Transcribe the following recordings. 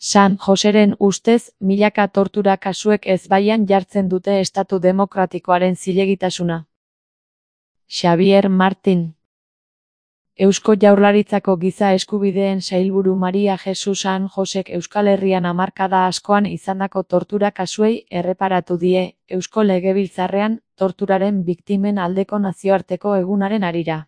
San Joseren ustez, milaka tortura kasuek ezbaian jartzen dute estatu demokratikoaren zilegitasuna. Xabier Martin. Eusko Jaurlaritzako Giza Eskubideen Sailburu Maria Jesus San Josek Euskal Herrian hamarkada askoan izandako tortura kasuei erreparatu die, Eusko Legebiltzarrean, torturaren biktimen aldeko nazioarteko egunaren harira.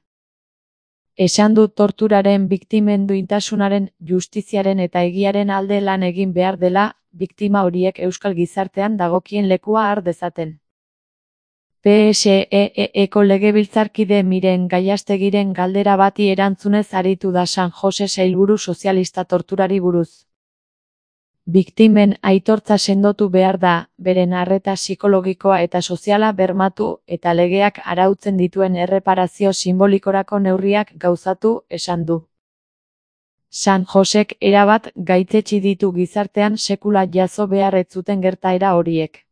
Esan du torturaren biktimen duintasunaren, justiziaren eta egiaren alde lan egin behar dela, biktima horiek euskal gizartean dagokien lekua har dezaten. PSEE-eko legebiltzarkide Miren Gallastegiren galdera bati erantzunez aritu da San Jose sailburu sozialista torturari buruz. Biktimen aitortza sendotu behar da, beren arreta psikologikoa eta soziala bermatu eta legeak arautzen dituen erreparazio simbolikorako neurriak gauzatu, esan du. San Josek erabat gaitzetsi ditu gizartean sekula jazo behar ez zuten gertaera horiek.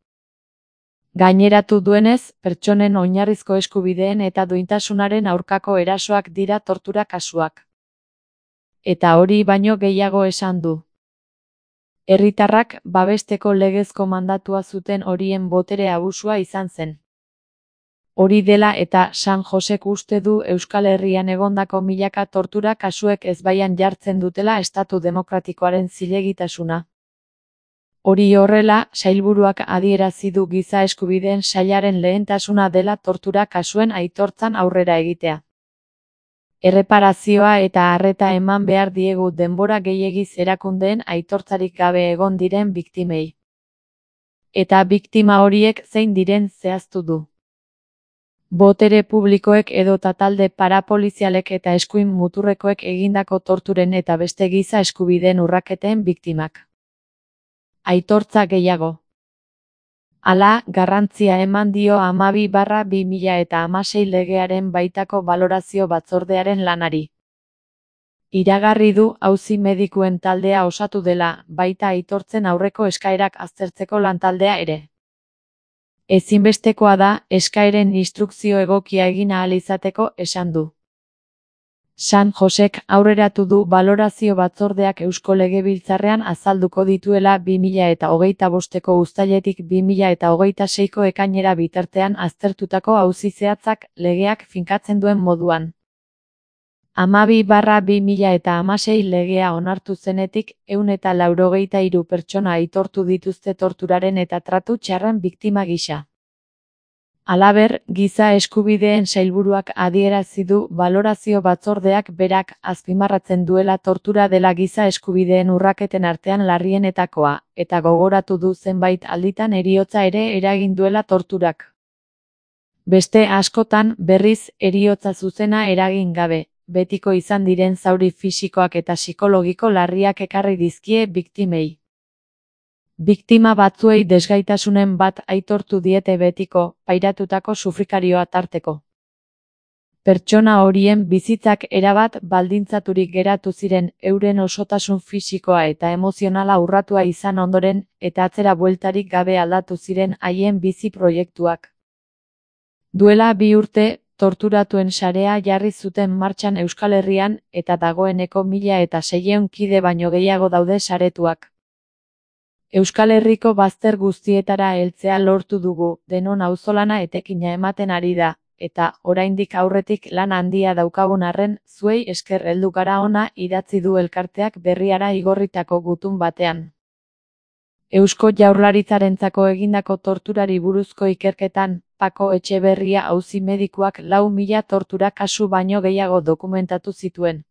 Gaineratu duenez, pertsonen oinarrizko eskubideen eta duintasunaren aurkako erasoak dira tortura kasuak. Eta hori baino gehiago esan du. Herritarrak babesteko legezko mandatua zuten horien botere abusua izan zen. Hori dela eta San Josek uste du Euskal Herrian egondako milaka tortura kasuek ezbaian jartzen dutela estatu demokratikoaren zilegitasuna. Hori horrela, sailburuak adierazi du Giza Eskubideen Sailaren lehentasuna dela tortura kasuen aitortzan aurrera egitea. Erreparazioa eta arreta eman behar diegu denbora gehiegiz erakundeen aitortzarik gabe egon diren biktimei. Eta biktima horiek zein diren zehaztu du. Botere publikoek edota talde parapolizialek eta eskuin muturrekoek egindako torturen eta beste giza eskubideen urraketen biktimak. Aitortza gehiago. Hala, garrantzia eman dio 12/2016 legearen baitako balorazio batzordearen lanari. Iragarri du auzi medikuen taldea osatu dela, baita aitortzen aurreko eskaerak aztertzeko lantaldea ere. Ezinbestekoa da, eskaeren instrukzio egokia egin ahal izateko, esan du. San Josek aurreratu du balorazio batzordeak Eusko Legebiltzarrean azalduko dituela 2025ko uztailetik 2026ko ekainera bitartean aztertutako auzi zehatzak legeak finkatzen duen moduan. 12/2016 legea onartu zenetik 183 pertsona aitortu dituzte torturaren eta tratu txarren biktima gisa. Halaber, Giza Eskubideen Sailburuak adierazi du balorazio batzordeak berak azpimarratzen duela tortura dela giza eskubideen urraketen artean larrienetakoa, eta gogoratu du zenbait alditan heriotza ere eragin duela torturak. Beste askotan, berriz, heriotza zuzena eragin gabe, betiko izan diren zauri fisikoak eta psikologiko larriak ekarri dizkie biktimei. Biktima batzuei desgaitasunen bat aitortu diete betiko, pairatutako sufrikarioa tarteko. Pertsona horien bizitzak erabat baldintzaturik geratu ziren euren osotasun fisikoa eta emozionala urratua izan ondoren eta atzera bueltarik gabe aldatu ziren haien bizi proiektuak. Duela 2 urte, torturatuen sarea jarri zuten martxan Euskal Herrian eta dagoeneko 1600 kide baino gehiago daude saretuak. Euskal Herriko bazter guztietara heltzea lortu dugu, denon auzolana etekina ematen ari da, eta oraindik aurretik lan handia daukagun arren, zuei esker heldu gara hona idatzi du elkarteak berriara igorritako gutun batean. Eusko Jaurlaritzarentzako egindako torturari buruzko ikerketan, Pako Etxeberria auzi medikuak 4.000 tortura kasu baino gehiago dokumentatu zituen.